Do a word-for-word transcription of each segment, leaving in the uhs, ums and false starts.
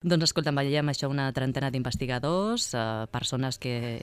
Doncs escolta, veiem això una trentena d'investigadors, eh, persones que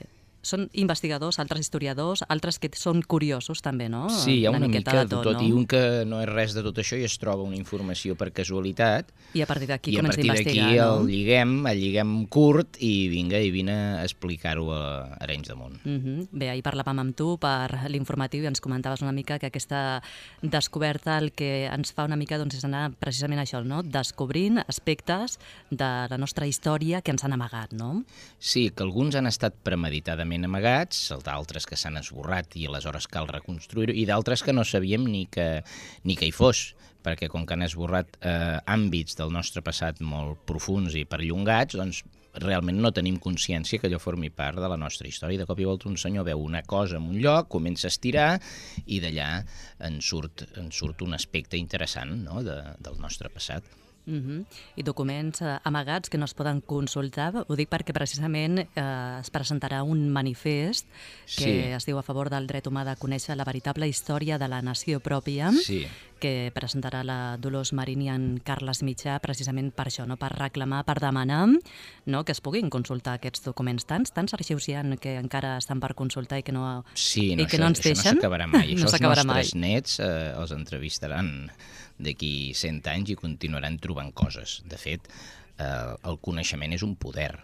són investigadors, altres historiadors, altres que són curiosos també, no? Sí, hi ha una, una mica de tot, tot no? I un que no és res de tot això i es troba una informació per casualitat. I a partir d'aquí I a comença a partir investigar, d'aquí no? el lliguem, el lliguem curt i vinga, i vine a explicar-ho a Arenys de Munt. Uh -huh. Bé, ahir parlàvem amb tu per l'informatiu i ens comentaves una mica que aquesta descoberta el que ens fa una mica doncs, és anar precisament això, no? Descobrint aspectes de la nostra història que ens han amagat, no? Sí, que alguns han estat premeditadament amagats, d'altres que s'han esborrat i aleshores cal reconstruir-ho, i d'altres que no sabíem ni que, ni que hi fos, perquè com que han esborrat eh, àmbits del nostre passat molt profuns i perllongats, doncs realment no tenim consciència que allò formi part de la nostra història. I de cop i volta un senyor veu una cosa en un lloc, comença a estirar i d'allà en surt, en surt un aspecte interessant, no?, de, del nostre passat. Uh -huh. I documents eh, amagats que no es poden consultar. Ho dic perquè precisament eh, es presentarà un manifest que Sí. es diu a favor del dret humà de conèixer la veritable història de la nació pròpia, Sí. que presentarà la Dolors Marín i en Carles Mitjà precisament per això, no? Per reclamar, per demanar, no? Que es puguin consultar aquests documents. Tants, tants arxius hi ha que encara estan per consultar i que no, Sí, no, i que això, no ens això deixen. no s'acabarà mai. No Això els s'acabarà nostres mai. nets eh, els entrevistaran d'aquí cent anys i continuaran trobant coses. De fet, eh, el coneixement és un poder.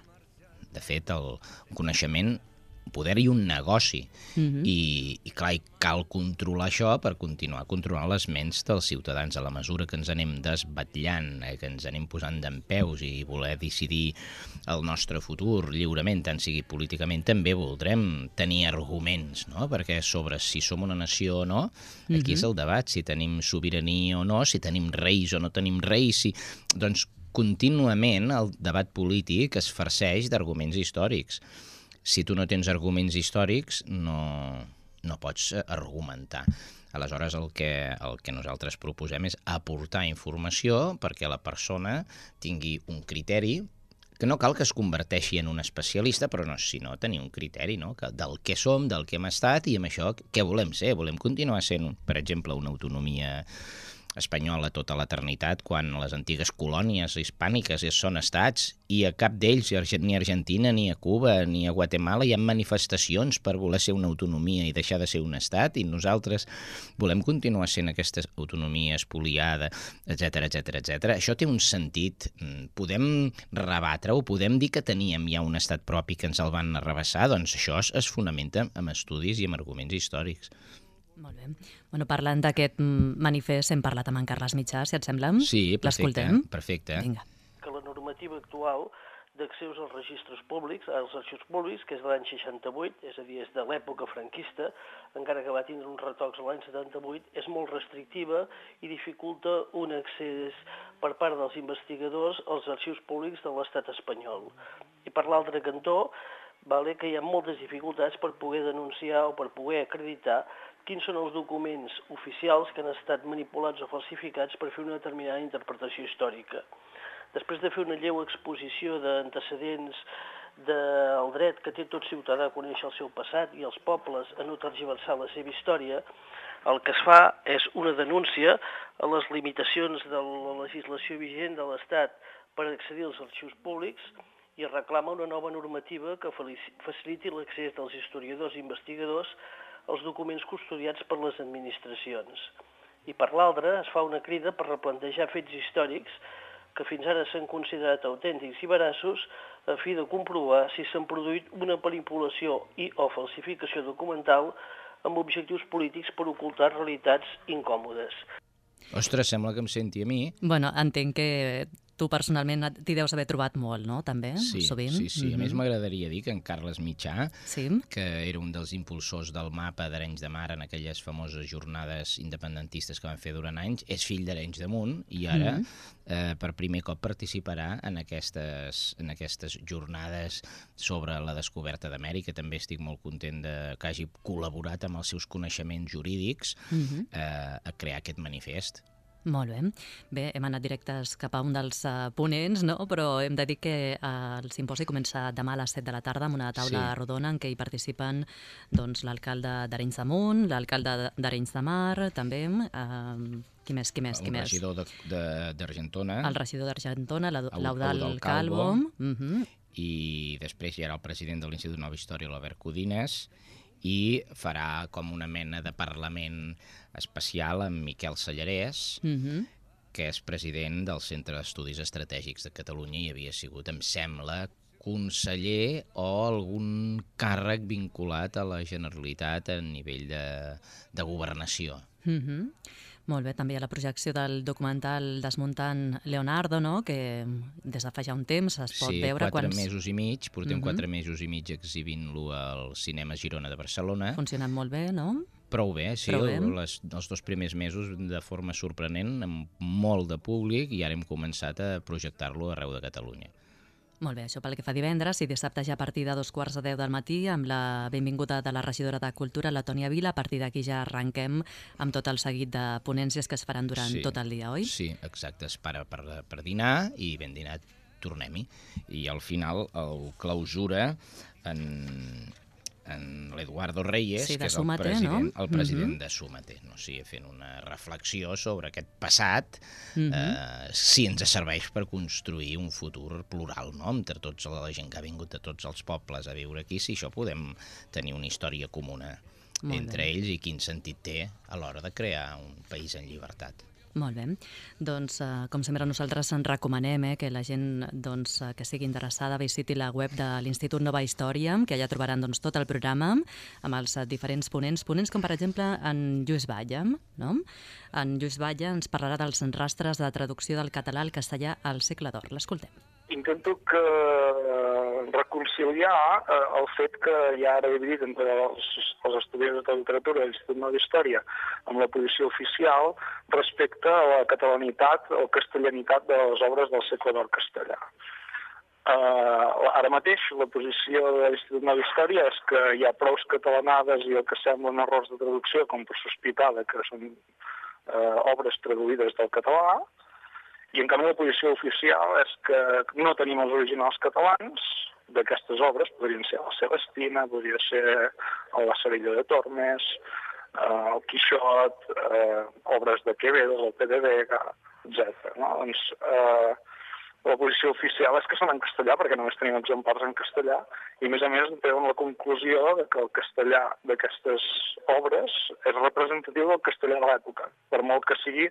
De fet, el coneixement, un poder i un negoci. Uh -huh. I, i clar, i cal controlar això per continuar controlant les ments dels ciutadans. A la mesura que ens anem desbatllant, eh, que ens anem posant dempeus i voler decidir el nostre futur lliurement, tant sigui políticament, també voldrem tenir arguments, no? Perquè sobre si som una nació o no, aquí Uh-huh. és el debat, si tenim sobirania o no, si tenim reis o no tenim reis, si... doncs contínuament el debat polític es farceix d'arguments històrics. Si tu no tens arguments històrics, no, no pots argumentar. Aleshores, el que, el que nosaltres proposem és aportar informació perquè la persona tingui un criteri, que no cal que es converteixi en un especialista, però no, sinó tenir un criteri, no? Que del què som, del que hem estat i amb això què volem ser. Volem continuar sent, per exemple, una autonomia espanyola tota l'eternitat, quan les antigues colònies hispàniques són estats i a cap d'ells, ni a Argentina, ni a Cuba, ni a Guatemala, hi ha manifestacions per voler ser una autonomia i deixar de ser un estat, i nosaltres volem continuar sent aquesta autonomia espoliada, etcètera, etcètera, etcètera. Això té un sentit. Podem rebatre-ho, podem dir que teníem ja un estat propi que ens el van arrabassar, doncs això es, es fonamenta en estudis i en arguments històrics. Molt bé. Bueno, parlant d'aquest manifest, hem parlat amb en Carles Mitjà, si et sembla? Sí, perfecte. perfecte. Vinga. Que la normativa actual d'accés als registres públics, als arxius públics, que és de l'any seixanta-vuit, és a dir, és de l'època franquista, encara que va tindre uns retocs l'any setanta-vuit, és molt restrictiva i dificulta un accés per part dels investigadors als arxius públics de l'estat espanyol. I per l'altre cantó, vale, que hi ha moltes dificultats per poder denunciar o per poder acreditar quins són els documents oficials que han estat manipulats o falsificats per fer una determinada interpretació històrica. Després de fer una lleu exposició d'antecedents del dret que té tot ciutadà a conèixer el seu passat i els pobles a no tergiversar la seva història, el que es fa és una denúncia a les limitacions de la legislació vigent de l'Estat per accedir als arxius públics i reclama una nova normativa que faciliti l'accés dels historiadors i investigadors als documents custodiats per les administracions. I per l'altra es fa una crida per replantejar fets històrics que fins ara s'han considerat autèntics i veraços a fi de comprovar si s'han produït una manipulació i o falsificació documental amb objectius polítics per ocultar realitats incòmodes. Ostres, sembla que em senti a mi. Bueno, entenc que tu personalment t'hi deus haver trobat molt, no?, també, sí, sovint. Sí, sí. Mm-hmm. A més, m'agradaria dir que en Carles Mitjà, sí. que era un dels impulsors del mapa d'Arenys de Mar en aquelles famoses jornades independentistes que van fer durant anys, és fill d'Arenys de Munt i ara, mm-hmm. eh, per primer cop, participarà en aquestes, en aquestes jornades sobre la descoberta d'Amèrica. També estic molt content de, que hagi col·laborat amb els seus coneixements jurídics mm-hmm. eh, a crear aquest manifest. Molt bé. Bé, hem anat directes cap a un dels uh, ponents, no? Però hem de dir que uh, el simposi comença demà a les set de la tarda amb una taula sí. rodona en què hi participen doncs, l'alcalde d'Arenys de Munt, l'alcalde d'Arenys de Mar, també, uh, qui més, qui més, qui el més? regidor d'Argentona. El regidor d'Argentona, l'Eudal Eudal Calvo. Calvo. Uh -huh. I després hi ha el president de l'Institut Nova Història, l'Albert Codines, i farà com una mena de parlament especial amb Miquel Sallarès, uh-huh. que és president del Centre d'Estudis Estratègics de Catalunya i havia sigut, em sembla, conseller o algun càrrec vinculat a la Generalitat a nivell de, de governació. Uh-huh. Molt bé, també hi ha la projecció del documental Desmuntant Leonardo, no? Que des de fa ja un temps es pot sí, veure... Sí, quatre quants... mesos i mig, portem uh-huh. quatre mesos i mig exhibint-lo al Cinema Girona de Barcelona. Funcionant molt bé, no? Prou bé, sí, Prou bé. Les, els dos primers mesos de forma sorprenent, amb molt de públic, i ara hem començat a projectar-lo arreu de Catalunya. Molt bé, això pel que fa divendres i dissabte ja a partir de dos quarts de deu del matí amb la benvinguda de la regidora de Cultura, la Tònia Vila. A partir d'aquí ja arrenquem amb tot el seguit de ponències que es faran durant sí, tot el dia, oi? Sí, exacte, es para per, per dinar i ben dinat tornem-hi. I al final el clausura en, en l'Eduardo Reyes, sí, que és el Súmate, president, no? el president uh-huh. de Súmate, no? O sigui, fent una reflexió sobre aquest passat, uh-huh. eh, si ens serveix per construir un futur plural, no? Entre tota la gent que ha vingut de tots els pobles a viure aquí, si això podem tenir una història comuna Molt entre bé. ells i quin sentit té a l'hora de crear un país en llibertat. Molt bé. Doncs, uh, com sempre, nosaltres en recomanem eh, que la gent doncs, uh, que sigui interessada visiti la web de l'Institut Nova Història, que allà trobaran doncs, tot el programa amb els uh, diferents ponents. Ponents com, per exemple, en Lluís Batlle. No? En Lluís Batlle ens parlarà dels rastres de traducció del català al castellà al segle d'or. L'escoltem. Intento que reconciliar eh, el fet que hi ha ara dividit entre els, els estudiants de literatura de l'Institut Nova Història amb la posició oficial respecte a la catalanitat o castellanitat de les obres del segle d'or castellà. Uh, ara mateix la posició de l'Institut Nova Història és que hi ha prous catalanades i el que semblen errors de traducció com per sospitar que són uh, obres traduïdes del català, i en canvi la posició oficial és que no tenim els originals catalans d'aquestes obres, podrien ser la Celestina, podria ser la Cerilla de Tormes, eh, el Quixot, eh, obres de Quevedo, el P de Vega, etcètera. No? Doncs eh, la posició oficial és que són en castellà perquè només tenim exemplars en castellà i a més a més treuen la conclusió de que el castellà d'aquestes obres és representatiu del castellà de l'època, per molt que sigui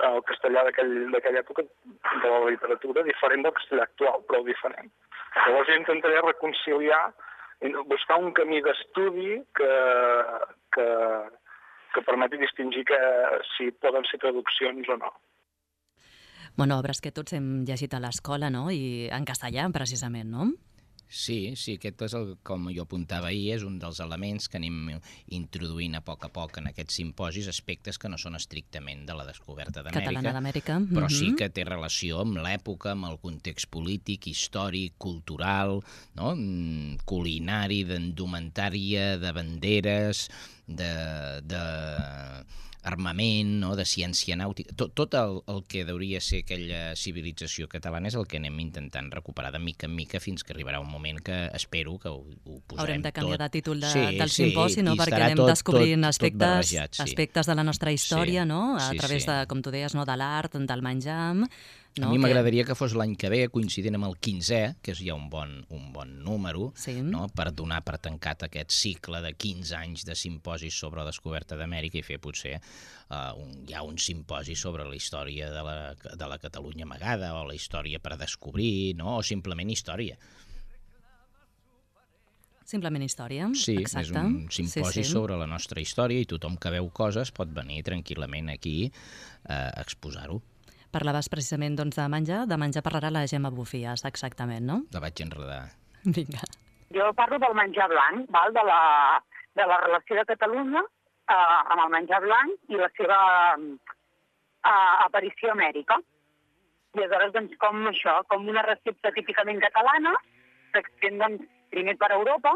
el castellà d'aquella època de la literatura diferent del castellà actual, prou diferent. Llavors jo intentaré reconciliar, buscar un camí d'estudi que, que, que permeti distingir que si poden ser traduccions o no. Bueno, obres que tots hem llegit a l'escola, no? I en castellà, precisament, no? Sí, sí, aquest és el, com jo apuntava ahir, és un dels elements que anem introduint a poc a poc en aquests simposis, aspectes que no són estrictament de la descoberta d'Amèrica, Catalana d'Amèrica, però mm-hmm. sí que té relació amb l'època, amb el context polític, històric, cultural, no? Culinari, d'indumentària, de banderes, de... de armament, no? De ciència nàutica, tot, tot el, el que hauria ser aquella civilització catalana és el que anem intentant recuperar de mica en mica fins que arribarà un moment que espero que ho, ho posarem tot. Haurem de canviar tot. de títol de, sí, del sí, simposi, no? Perquè anem tot, descobrint tot, aspectes, tot barrejat, sí. aspectes de la nostra història, sí, no? A sí, través sí. de, com tu deies, no? De l'art, del menjar... No? A mi que... m'agradaria que fos l'any que ve, coincidint amb el quinzè, que és ja un bon, un bon número, sí. no? Per donar per tancat aquest cicle de quinze anys de simposis sobre la descoberta d'Amèrica i fer potser uh, un, ja un simposi sobre la història de la, de la Catalunya amagada o la història per descobrir, no? O simplement història. Simplement història, sí, exacte. És un simposi sí, sí. sobre la nostra història i tothom que veu coses pot venir tranquil·lament aquí uh, a exposar-ho. Parlaves precisament doncs, de menjar, de menjar parlarà la Gemma Bufies, exactament, no? La vaig enredar. Vinga. Jo parlo del menjar blanc, val? De, la, de la relació de Catalunya eh, amb el menjar blanc i la seva eh, aparició a Amèrica. I aleshores, doncs, com això, com una recepta típicament catalana, s'extén doncs, primer per Europa,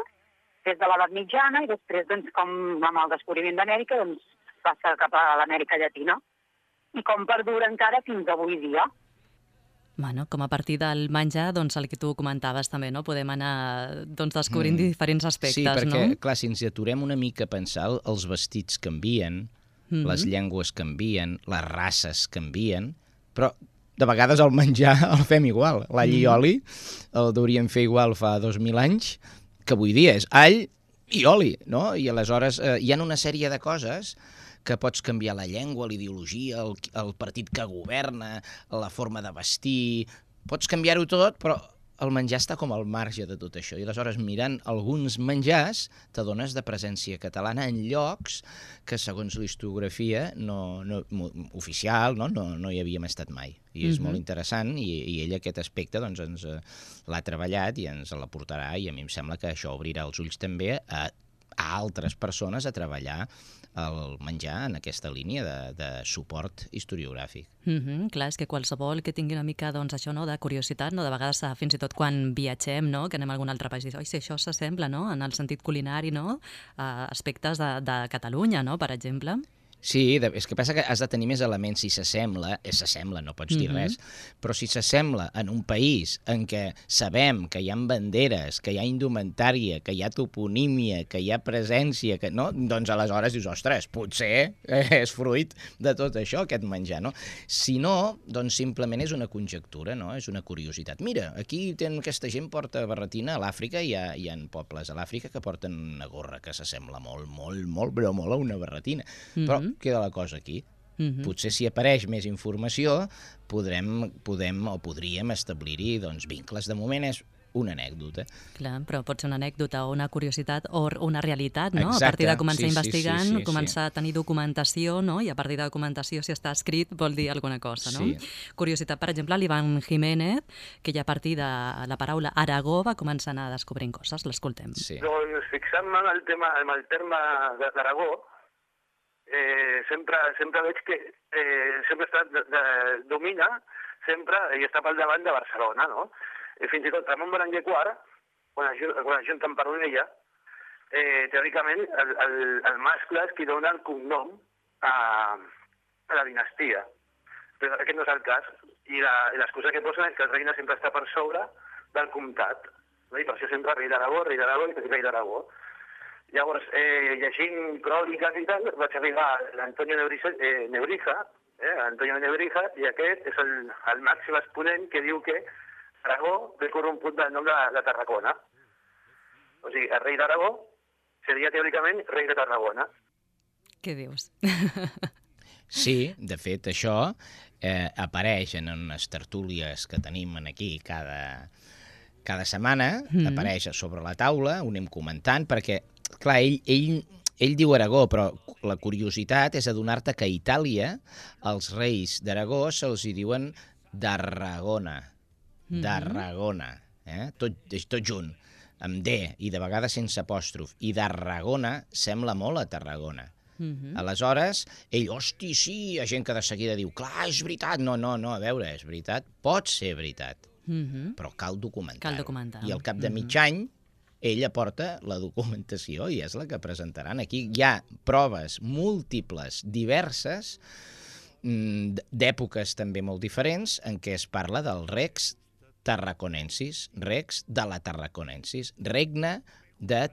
des de l'edat mitjana, i després, doncs, com amb el descobriment d'Amèrica, doncs, passa cap a l'Amèrica Llatina. i com perdura encara fins avui dia. Bueno, com a partir del menjar, doncs el que tu comentaves també, no? Podem anar doncs, descobrint mm. diferents aspectes, no? Sí, perquè, no? clar, si ens aturem una mica a pensar, els vestits canvien, mm-hmm. les llengües canvien, les races canvien, però de vegades el menjar el fem igual. L'all mm-hmm. i oli el hauríem fer igual fa dos mil anys, que avui dia és all i oli, no? I aleshores eh, hi ha una sèrie de coses que pots canviar la llengua, l'ideologia, el, el partit que governa, la forma de vestir... Pots canviar-ho tot, però el menjar està com al marge de tot això. I aleshores, mirant alguns menjars, t'adones de presència catalana en llocs que, segons l'historiografia no, no, oficial, no, no, no hi havíem estat mai. I és mm-hmm. molt interessant, i, i ell aquest aspecte doncs, ens eh, l'ha treballat i ens l'aportarà, i a mi em sembla que això obrirà els ulls també a, a altres persones a treballar el menjar en aquesta línia de, de suport historiogràfic. Mm-hmm, clar, és que qualsevol que tingui una mica doncs, això, no, de curiositat, no, de vegades fins i tot quan viatgem, no, que anem a algun altre país i dius, oi, si això s'assembla, no, en el sentit culinari, no, a aspectes de, de Catalunya, no, per exemple. Sí, és que passa que has de tenir més elements. Si s'assembla, és s'assembla, no pots dir mm-hmm. res, però si s'assembla en un país en què sabem que hi ha banderes, que hi ha indumentària, que hi ha toponímia, que hi ha presència, que no, doncs aleshores dius, ostres, potser és fruit de tot això, aquest menjar, no? Si no, doncs simplement és una conjectura, no? És una curiositat. Mira, aquí ten, aquesta gent porta barretina, a l'Àfrica hi ha, hi ha pobles a l'Àfrica que porten una gorra que s'assembla molt, molt, molt, però molt a una barretina. Mm-hmm. Però queda la cosa aquí. Mm-hmm. Potser si apareix més informació podrem, podem o podríem establir-hi doncs, vincles. De moment és una anècdota. Clar, però pot ser una anècdota o una curiositat o una realitat, no? Exacte. A partir de començar sí, investigant, sí, sí, sí, començar sí. a tenir documentació, no? I a partir de documentació, si està escrit, vol dir alguna cosa, no? Sí. Curiositat, per exemple, l'Ivan Jiménez, que ja a partir de la paraula Aragó va començar a anar descobrint coses. L'escoltem. Sí. Doncs fixant-me en el tema, en el terme d'Aragó, Eh, sempre, sempre veig que eh, sempre està, de, de, domina sempre i està pel davant de Barcelona, no? I fins i tot Ramon Berenguer quart, quan es, quan es junten per una ella, eh, teòricament el, el, el mascle és qui dona el cognom a, a la dinastia. Però aquest no és el cas, i l'excusa que posen és que el regne sempre està per sobre del comtat, no? I per això sempre rei d'Aragó, rei d'Aragó i rei d'Aragó. Llavors, eh, llegint cròniques i tal, vaig arribar a l'Antonio Nebrija, eh, Nebrija, eh, Antonio Nebrija, i aquest és el, el màxim exponent que diu que Aragó ve corromput del nom de, de Tarragona. O sigui, el rei d'Aragó seria teòricament rei de Tarragona. Què dius? Sí, de fet, això eh, apareix en unes tertúlies que tenim aquí cada, cada setmana, mm. apareix sobre la taula, ho anem comentant, perquè clar, ell, ell, ell diu Aragó, però la curiositat és adonar-te que a Itàlia els reis d'Aragó se'ls hi diuen Darragona, mm-hmm. Darragona, eh? tot, tot junt, amb D i de vegades sense apòstrof, i Darragona sembla molt a Tarragona. Mm-hmm. Aleshores, ell, hosti, sí, hi ha gent que de seguida diu, clar, és veritat, no, no, no, a veure, és veritat, pot ser veritat, mm-hmm. però cal documentar-ho. Cal documentar. I al cap de mig any, ell aporta la documentació i és la que presentaran. Aquí hi ha proves múltiples, diverses, d'èpoques també molt diferents, en què es parla del Rex Tarraconensis, Rex de la Tarraconensis, regne de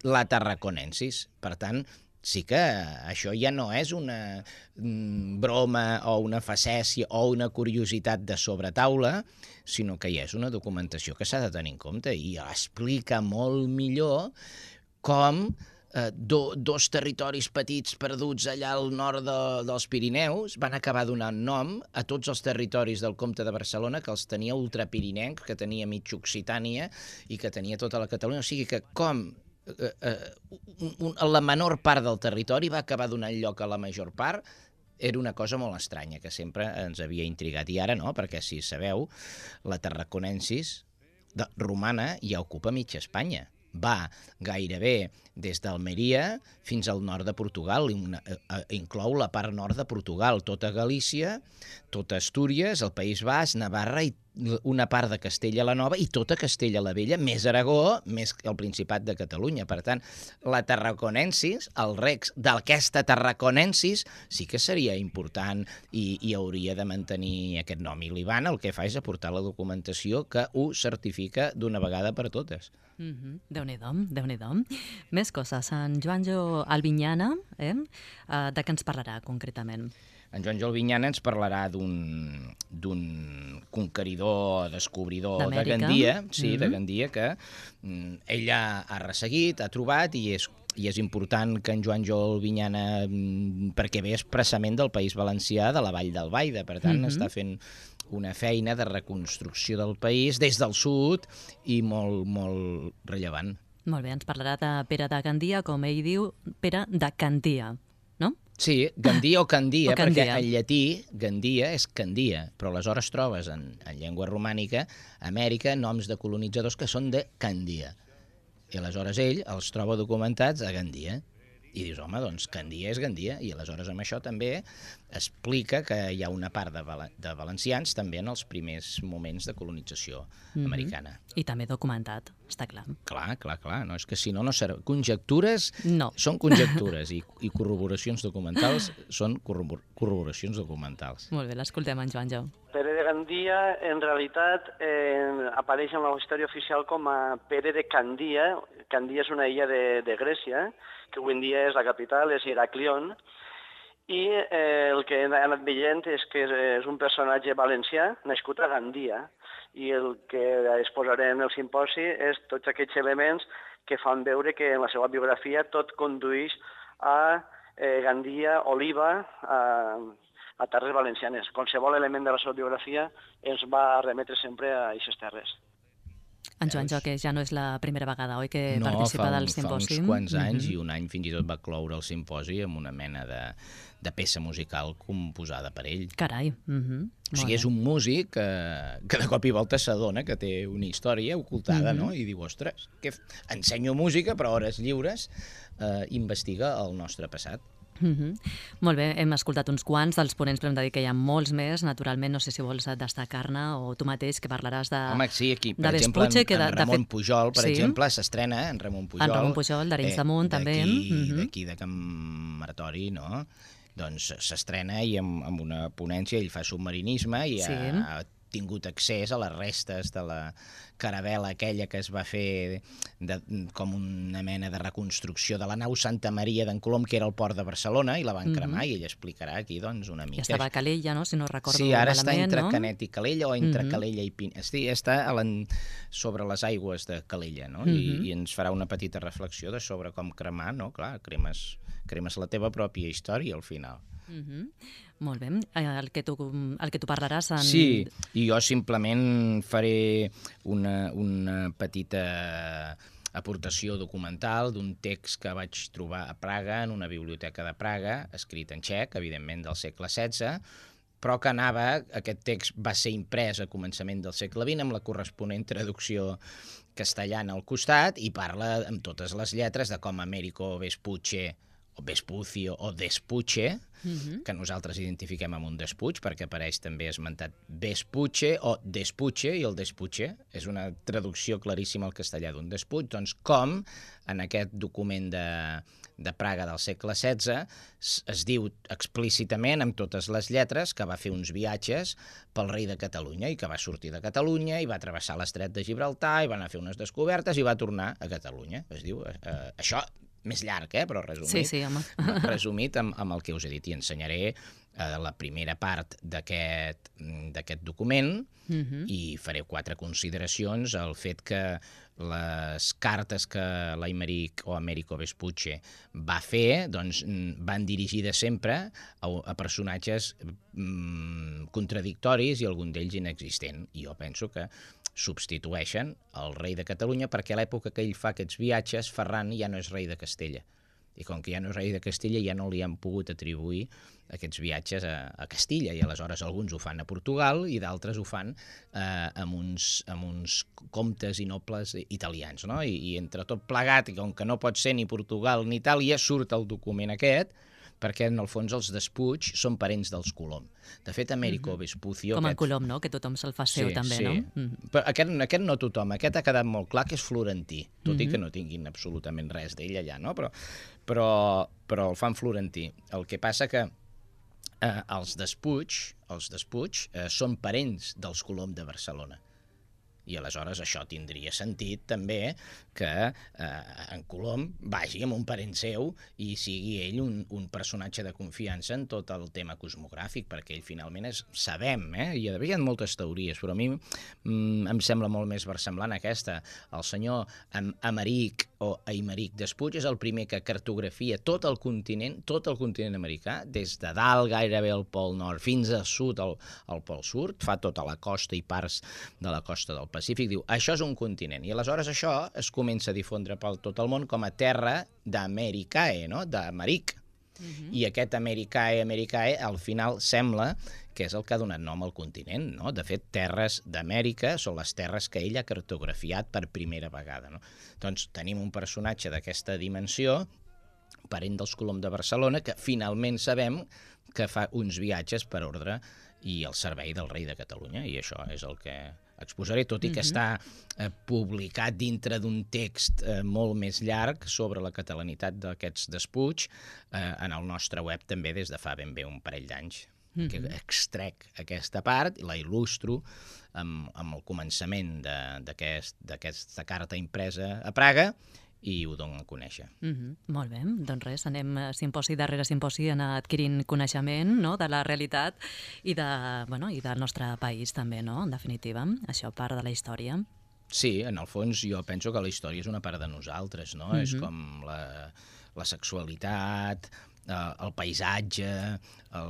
la Tarraconensis. Per tant, sí que això ja no és una broma o una facècia o una curiositat de sobretaula, sinó que ja és una documentació que s'ha de tenir en compte i explica molt millor com eh, do, dos territoris petits perduts allà al nord de, dels Pirineus van acabar donant nom a tots els territoris del comte de Barcelona, que els tenia ultrapirinencs, que tenia mig Occitània i que tenia tota la Catalunya. O sigui que com eh, eh, un, la menor part del territori va acabar donant lloc a la major part, era una cosa molt estranya que sempre ens havia intrigat. I ara no, perquè si sabeu, la Tarraconensis de, romana ja ocupa mitja Espanya. Va gairebé des d'Almeria fins al nord de Portugal, una, eh, inclou la part nord de Portugal, tota Galícia, tota Astúries, el País Basc, Navarra i una part de Castella la Nova i tota Castella la Vella, més Aragó, més el Principat de Catalunya. Per tant, la Tarraconensis, el rex d'aquesta Tarraconensis, sí que seria important i, i hauria de mantenir aquest nom. I l'Ivan el que fa és aportar la documentació que ho certifica d'una vegada per totes. Mm-hmm. Déu-n'hi-do, Déu-n'hi-do. Més coses. En Joanjo Albinyana, eh? Uh, de què ens parlarà concretament? En Joanjo Albinyana ens parlarà d'un d'un conqueridor, descobridor de Gandia, sí, mm-hmm. de Gandia, que mm, ella ha resseguit, ha trobat, i és, i és important que en Joanjo Albinyana, mm, perquè ve expressament del País Valencià, de la Vall d'Albaida, per tant, mm-hmm. està fent una feina de reconstrucció del país des del sud i molt, molt rellevant. Molt bé, ens parlarà de Pere de Gandia, com ell diu, Pere de Candia, no? Sí, Gandia o Candia, o Candia. perquè en llatí Gandia és Candia, però aleshores trobes en, en llengua romànica a Amèrica noms de colonitzadors que són de Candia. I aleshores ell els troba documentats a Gandia. I dius, home, doncs Gandia és Gandia, i aleshores amb això també explica que hi ha una part de, val de valencians també en els primers moments de colonització mm-hmm. americana. I també documentat, està clar. Clar, clar, clar, no, és que si no, no serà... Conjectures no. són conjectures i, i corroboracions documentals són corrobor corroboracions documentals. Molt bé, l'escoltem en Joanjo. Pere de Gandia, en realitat, eh, apareix en la història oficial com a Pere de Candia. Candia és una illa de, de Grècia, que avui en dia és la capital, és Heraclion, i eh, el que he anat veient és que és un personatge valencià nascut a Gandia, i el que exposarem en el simposi és tots aquests elements que fan veure que en la seva biografia tot condueix a eh, Gandia, Oliva, a, a terres valencianes. Qualsevol element de la seva biografia ens va remetre sempre a aquestes terres. En Joanjo, que ja no és la primera vegada, oi, que no, participa un, del simposi? No, fa uns quants anys, mm-hmm. i un any fins i tot va cloure el simposi amb una mena de, de peça musical composada per ell. Carai. Mm-hmm. O sigui, és un músic que, que de cop i volta s'adona que té una història ocultada, mm-hmm. no? I diu, ostres, que ensenyo música, però a hores lliures eh, investiga el nostre passat. Mm-hmm. Molt bé, hem escoltat uns quants dels ponents, però hem de dir que hi ha molts més. Naturalment, no sé si vols destacar-ne o tu mateix, que parlaràs de Home, sí, aquí, per de exemple, Vespucci, en, que en de, Ramon de fet... Pujol, per sí. exemple, s'estrena, en Ramon Pujol. En Ramon Pujol, d'Arenys eh, damunt, també. Mm-hmm. D'aquí de Can Martori, no? Doncs s'estrena i amb, amb una ponència, ell fa submarinisme i sí. ha, ha tingut accés a les restes de la caravela aquella que es va fer de, com una mena de reconstrucció de la nau Santa Maria d'en Colom, que era el port de Barcelona, i la van cremar, mm-hmm. i ell explicarà aquí doncs, una mica. I estava a Calella, no? Si no recordo sí, ara malament, està entre no? Canet i Calella o entre mm-hmm. Calella i Pinet. Sí, està a sobre les aigües de Calella, no? Mm-hmm. I, I ens farà una petita reflexió de sobre com cremar, no? Clar, cremes, cremes la teva pròpia història al final. Mm-hmm. Molt bé. El que tu, el que tu parlaràs... En... Sí, i jo simplement faré una, una petita aportació documental d'un text que vaig trobar a Praga, en una biblioteca de Praga, escrit en txec, evidentment del segle setze, però que anava, aquest text va ser imprès a començament del segle vint amb la corresponent traducció castellana al costat, i parla amb totes les lletres de com Américo Vespucci o Vespucio o Despuche, mm-hmm. que nosaltres identifiquem amb un despuig, perquè apareix també esmentat Vespucci o Despuche, i el Despuche és una traducció claríssima al castellà d'un despuig. Doncs com en aquest document de, de Praga del segle setze es, es diu explícitament, amb totes les lletres, que va fer uns viatges pel rei de Catalunya i que va sortir de Catalunya i va travessar l'estret de Gibraltar i va anar a fer unes descobertes i va tornar a Catalunya. Es diu, eh, això més llarg, eh, però resumit, sí, sí, home. resumit amb, amb el que us he dit, i ensenyaré eh, la primera part d'aquest d'aquest document, mm-hmm. i faré quatre consideracions. El fet que les cartes que l'Aimeric o Américo Vespucci va fer doncs, van dirigides sempre a, a personatges mm, contradictoris i algun d'ells inexistent. I jo penso que substitueixen el rei de Catalunya, perquè a l'època que ell fa aquests viatges, Ferran ja no és rei de Castella. I com que ja no és rei de Castella, ja no li han pogut atribuir aquests viatges a, a Castilla, i aleshores alguns ho fan a Portugal i d'altres ho fan eh, amb, uns, amb uns comtes i nobles italians, no? I, i entre tot plegat, i com que no pot ser ni Portugal ni Itàlia, surt el document aquest, perquè en el fons els Despuig són parents dels Colom. De fet, Américo Vespucio... Com en aquest... Colom, no? Que tothom se'l fa seu, sí, també, sí. no? Mm-hmm. Però aquest, aquest no tothom, aquest ha quedat molt clar que és florentí, tot mm-hmm. i que no tinguin absolutament res d'ell allà, no? Però, però, però el fan florentí. El que passa que eh, els Despuig, els Despuig eh, són parents dels Colom de Barcelona. I aleshores això tindria sentit també que eh, en Colom vagi amb un parent seu i sigui ell un, un personatge de confiança en tot el tema cosmogràfic, perquè ell finalment és, sabem, eh? Hi ha, hi ha moltes teories, però a mi mm, em sembla molt més versemblant aquesta. El senyor Am Emeric o Aimeric Despuig és el primer que cartografia tot el continent, tot el continent americà, des de dalt gairebé al Pol Nord fins al sud, al, al Pol Sud, fa tota la costa i parts de la costa del Pacífic, diu, això és un continent. I aleshores això es comença a difondre per tot el món com a terra d'Americae, no? d'Americ. Uh-huh. I aquest Americae, Americae, al final sembla que és el que ha donat nom al continent, no? De fet, terres d'Amèrica són les terres que ell ha cartografiat per primera vegada, no? Doncs tenim un personatge d'aquesta dimensió, parent dels Colom de Barcelona, que finalment sabem que fa uns viatges per ordre i al servei del rei de Catalunya, i això és el que exposaré, tot i que uh-huh. està eh, publicat dintre d'un text eh, molt més llarg sobre la catalanitat d'aquests Despuig eh, en el nostre web també des de fa ben bé un parell d'anys. Uh-huh. Que extrec aquesta part, la il·lustro amb, amb el començament d'aquesta aquest, carta impresa a Praga i ho dono a conèixer. Mm-hmm. Molt bé, doncs res, anem simposi darrere simposi anar adquirint coneixement, no?, de la realitat i, de, bueno, i del nostre país també, no?, en definitiva. Això part de la història. Sí, en el fons jo penso que la història és una part de nosaltres, no? Mm-hmm. És com la, la sexualitat, el paisatge, el,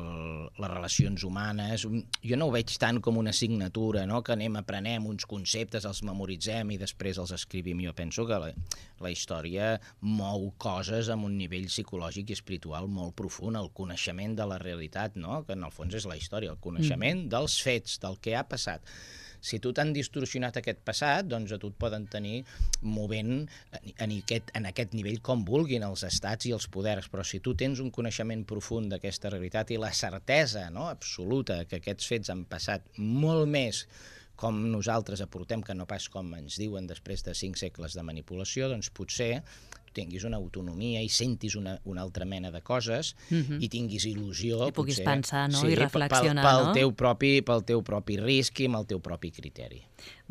les relacions humanes. Jo no ho veig tant com una assignatura, no? Que anem, aprenem uns conceptes, els memoritzem i després els escrivim. Jo penso que la, la història mou coses amb un nivell psicològic i espiritual molt profund, el coneixement de la realitat, no? Que en el fons és la història, el coneixement mm. dels fets, del que ha passat. Si tu t'han distorsionat aquest passat, doncs a tu et poden tenir movent en aquest, en aquest nivell com vulguin els estats i els poders, però si tu tens un coneixement profund d'aquesta realitat i la certesa, no?, absoluta que aquests fets han passat molt més com nosaltres aportem que no pas com ens diuen després de cinc segles de manipulació, doncs potser tinguis una autonomia i sentis una, una altra mena de coses uh-huh. i tinguis il·lusió. I puguis potser, pensar, no?, sí, i reflexionar, pel, pel no? Teu propi, pel teu propi risc i amb el teu propi criteri.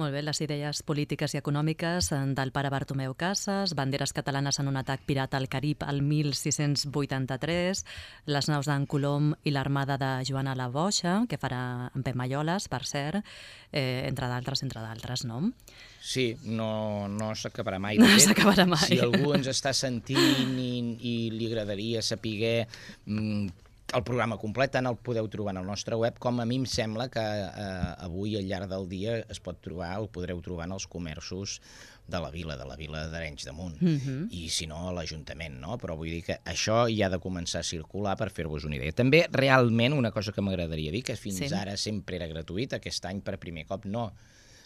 Molt bé, les idees polítiques i econòmiques del pare Bartomeu Casas, banderes catalanes en un atac pirata al Carib al mil sis-cents vuitanta-tres, les naus d'en Colom i l'armada de Joana la Boixa, que farà en Pep Malloles, per cert, eh, entre d'altres, entre d'altres, no? Sí, no, no s'acabarà mai. No s'acabarà mai. Si algú ens està sentint i, i li agradaria saber mm, el programa complet, tant el podeu trobar en el nostre web, com a mi em sembla que eh, avui al llarg del dia es pot trobar, el podreu trobar en els comerços de la vila, de la vila d'Arenys de Munt, uh-huh. i si no a l'Ajuntament, no? Però vull dir que això ja ha de començar a circular per fer-vos una idea. També, realment, una cosa que m'agradaria dir, que fins sí. ara sempre era gratuït, aquest any per primer cop no,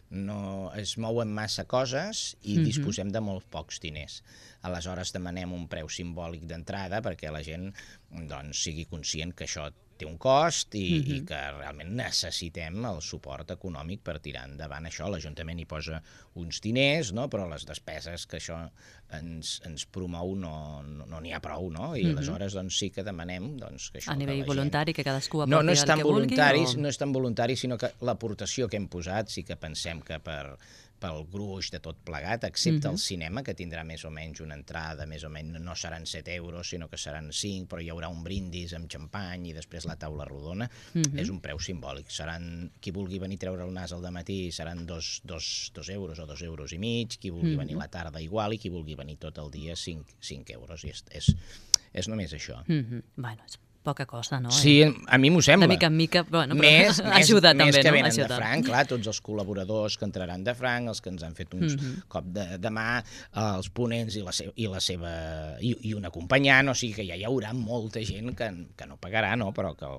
no es mouen massa coses i uh-huh. disposem de molt pocs diners. Aleshores demanem un preu simbòlic d'entrada perquè la gent doncs, sigui conscient que això té un cost i, uh-huh. i que realment necessitem el suport econòmic per tirar endavant això. L'Ajuntament hi posa uns diners, no? Però les despeses que això ens, ens promou no n'hi no, no ha prou, no? I uh-huh. aleshores doncs, sí que demanem doncs, que això... A nivell que voluntari, gent... que cadascú aporti no, no el que vulgui? O... No és tan voluntari, sinó que l'aportació que hem posat sí que pensem que per... pel gruix de tot plegat, excepte uh-huh. el cinema, que tindrà més o menys una entrada, més o menys no seran set euros, sinó que seran cinc, però hi haurà un brindis amb xampany i després la taula rodona. Uh-huh. És un preu simbòlic. Seran, qui vulgui venir a treure el nas al dematí seran dos, dos, dos euros o dos euros i mig, qui vulgui uh-huh. venir a la tarda igual i qui vulgui venir tot el dia cinc, cinc euros. I és, és, és només això. Uh-huh. Bueno, és poca cosa, no? Sí, a mi m'ho sembla. De mica en mica, bueno, però més, ajuda més, també, més que no? venen Ajuda. de franc, clar, tots els col·laboradors que entraran de franc, els que ens han fet uns uh-huh. cop de, de mà, els ponents i la, seva, i, la seva, i, i un acompanyant, o sigui que ja hi haurà molta gent que, que no pagarà, no? Però que,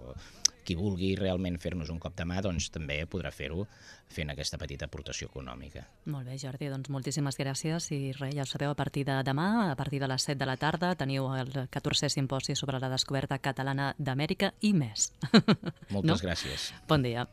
qui vulgui realment fer-nos un cop de mà doncs també podrà fer-ho fent aquesta petita aportació econòmica. Molt bé, Jordi, doncs moltíssimes gràcies i res, ja ho sabeu, a partir de demà, a partir de les set de la tarda, teniu el catorzè simposi sobre la descoberta catalana d'Amèrica i més. Moltes no? gràcies. Bon dia.